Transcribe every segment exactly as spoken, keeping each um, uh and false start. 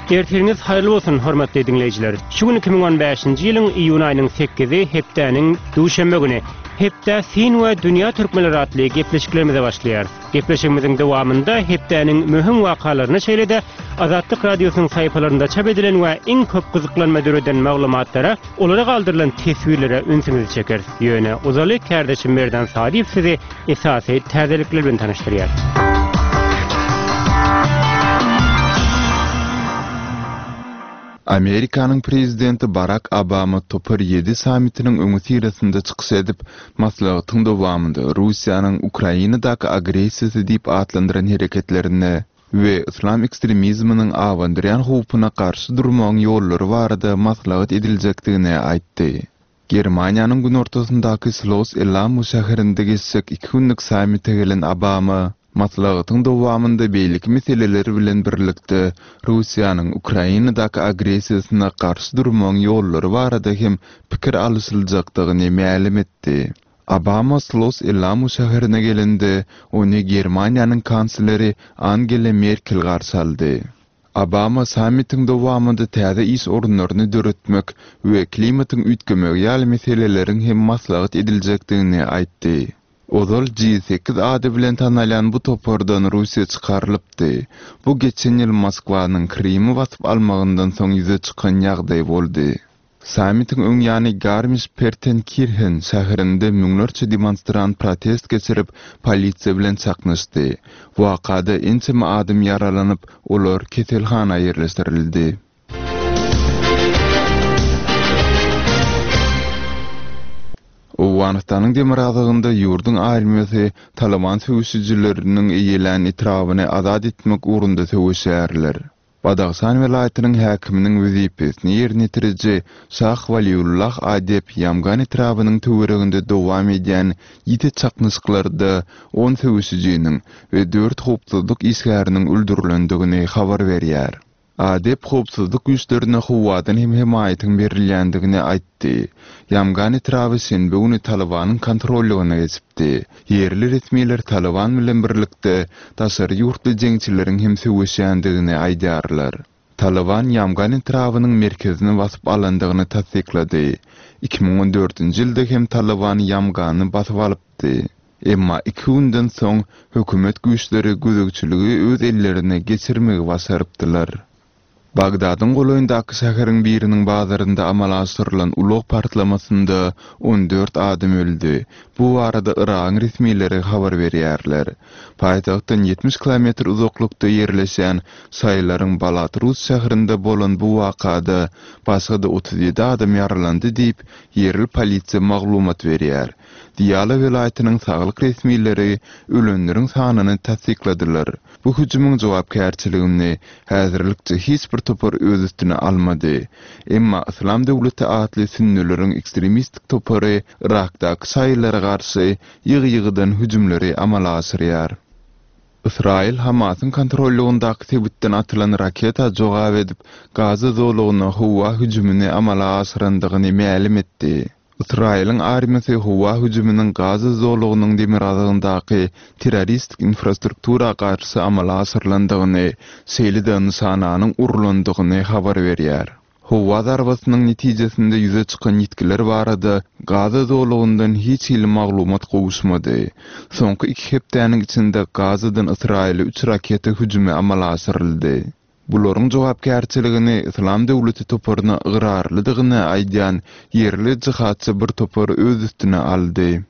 Ertiriňiz haýyrly bolsun, hormatly diňleýjiler. Şu gün iki müň on bäşinji ýylyň iýun aýynyň sekizi, hepdäniň duşenbe güni. Hepdä syn we dünýä türkmenleri atly gepleşiklerimize başlaýarys. Gepleşigimiziň dowamynda hepdäniň möhüm wakalaryny, şeýle-de Azatlyk Radiosynyň sahypalarynda çap edilen we iň köp gyzyklanma döreden maglumatlara, olara galdyrylan teswirlere ünsüňizi çekeris. Ýöne uzaly kärdeşim Merdan Sadyýew sizi esasy täzelikler bilen tanyşdyrýar. Amerikanyň prezidenti Barak Obama Topar ýedi sammitiniň öňüsyrasynda çykyş edip, maslahatyň dowamynda Russiýanyň Ukrainadaky agressiýasy diýip atlandyran hereketlerine we yslam ekstremizminiň abandyrýan howpuna garşy durmagyň ýollary barada maslahat ediljekdigini aýtdy. Germaniýanyň günortasyndaky Schloss Elmau şäherinde geçjek iki günlük sammite gelen Obama maslahatyň dowamynda beýleki meseleler bilen birlikde Russiýanyň Ukrainadaky agressiýasyna garşy durmagyň ýollary barada hem pikir alyşyljakdygyny mälim etdi. Obama Schloss Elmau şäherine gelende, ony Germaniýanyň kansleri Angela Merkel garşy aldy. Obama sammitiň dowamynda täze iş orunlaryny döretmek we klimatyň üýtgemegi ýaly meseleleriň hem maslahat ediljekdigini aýtdy. Ozal G sekiz ady bilen tanalýan bu topardan Russiýa çykarylypdy. Bu geçen ýyl Moskwanyň Krymy basyp almagyndan soň ýüze çykan ýagdaý boldy. Sammitiň öň ýany Garmisch-Partenkirchen şäherinde müňlerçe demonstrant protest geçirip, polisiýa bilen çaknyşdy. Wakada ençeme adam ýaralanyp, olar keselhana ýerleşdirildi. Owganystanyň demirgazygynda ýurduň armiýasy Taliban söweşijileriniň eýelän etrabyny azat etmek ugrunda söweşýärler. Badahşan welaýatynyň häkiminiň wezipesini ýerine ýetiriji Şah Waliullah Adep Ýamgan etrabynyň töwereginde dowam edýän ýiti çaknyşyklarda on söweşijiniň we dört howpsuzlyk işgäriniň öldürilendigini habar berýär. Adep howpsuzlyk güýçlerine howadan hem hemaýatyň berilýändigini aýtdy. Ýamgan etraby şenbe güni Talibanyň kontrollygyna geçipdi. Ýerli resmiler Taliban bilen birlikde daşary ýurtly jeňçileriň hem söweşýändigini aýdýarlar. Taliban Ýamgan etrabynyň merkezini basyp alandygyny tassyklady. Iki müň on dördünji ýylda hem Taliban Ýamgany basyp alypdy. Emma iki günden soň hökümet güýçleri gözegçiligi öz ellerine geçirmegi başarypdylar. Bagdadyň golaýyndaky şäheriň biriniň bazarynda amala aşyrylan ulag partlamasynda on dört adam öldi. Bu barada Yragyň resmileri habar berýärler. Paýtagtdan ýetmiş kilometr uzaklykda ýerleşen Şaýylaryň Balatrus şäherinde bolan bu wakada başga-da otuz ýedi adam ýaralandy diýip, ýerli polisiýa maglumat berýär. Diýala welaýatynyň saglyk resmileri ölenleriň sanyny tassykladylar. Bu hüjümiň jogapkärçiligini häzirlikçe hiç bir topar öz üstüne almady. Emma Yslam döwleti atly sünnüleriň ekstremistik topary Irakdaky şaýylara garşy ýygy-ýygydan hüjümleri amala aşyrýar. Ysraýyl Hamasyň kontrollygyndaky sebitden atylan raketa jogap edip, Gaza zolagyna howa hüjümini amala aşyrandygyny mälim etdi. Ysraýylyň armiýasy howa hüjüminiň Gaza zolagynyň demirgazygyndaky terroristik infrastruktura garşy amala aşyrylandygyny, şeýle-de nyşananyň urulandygyny habar berýär. Howa zarbasynyň netijesinde ýüze çykan ýitgiler barada Gaza zolagyndan hiç hili maglumat gowuşmady. Soňky iki hepdäniň içinde Gazadan Ysraýyla üç raketa hüjümi amala aşyryldy. Bularyň jogapkärçiligini Yslam döwleti toparyna ygrarlydygyny aýdýan ýerli jihatçy bir topar öz üstüne aldy.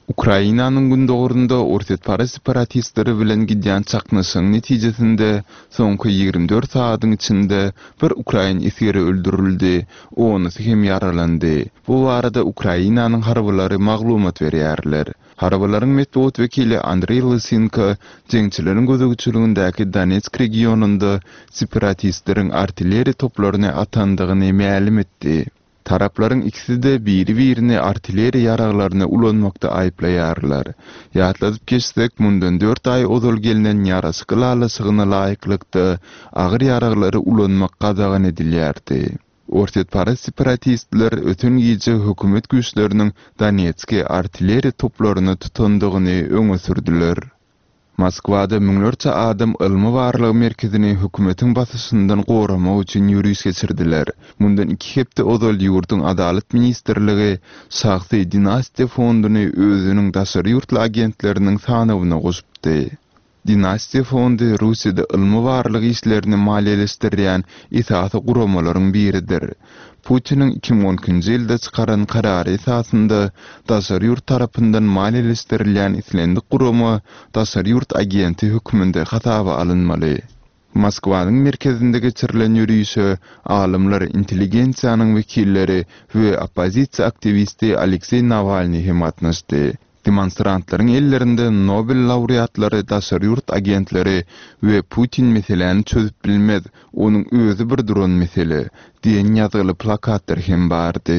Ukrainanyň gündogarynda orsýetparaz separatistleri bilen gidýän çaknyşygyň netijesinde soňky ýigrimi dört sagatyň içinde bir ukrain esgeri öldürildi, onusy hem ýaralandy. Bu barada Ukrainanyň harbylary maglumat berýärler. Harbylaryň metbugat wekili Andreý Lysenko jeňçileriň gözegçiligindäki Donetsk regionynda separatistleriň artilleriýa toplaryny atandygyny mälim etdi. Taraplaryň ikisi-de biri-birini artilleriýa ýaraglaryny ulanmakda aýyplaýarlar. Ýatladyp geçsek, mundan dört aý ozal gelnen ýaraşyk ylalaşygyna laýyklykda agyr ýaraglary ulanmak gadagan edilýärdi. Orsýetparaz separatistler öten gije hökümet güýçleriniň Donetski artilleriýa toplaryny tutandygyny öňe sürdüler. Moskwada müňlerçe adam ylmy barlag merkezini hökümetiň basyşyndan goramak üçin ýöriş geçirdiler. Mundan iki hepde ozal ýurduň Adalat ministrligi şahsy Dinastiýa fonduny özüniň daşary ýurtly agentleriniň sanawyna goşupdy. Dinastiýa fondy Russiýada ylmy barlag işlerini maliýeleşdirýän esasy guramalaryň biridir. Putiniň iki müň on ikinji ýylda çykaran karary esasynda daşary ýurt tarapyndan maliýeleşdirilýän islendik gurama daşary ýurt agenti hökmünde hasaba alynmaly. Moskwanyň merkezinde geçirilen ýörişe alymlar, intelligensiýanyň wekilleri we oppozisiýa aktiwisti Alekseý Nawalnyý hem gatnaşdy. Demonstrantlaryň ellerinde Nobel laureatlary, daşary ýurt agentleri we Putin meseläni çözüp bilmez, onuň özi bir duran mesele diýen ýazgyly plakatlar hem bardy.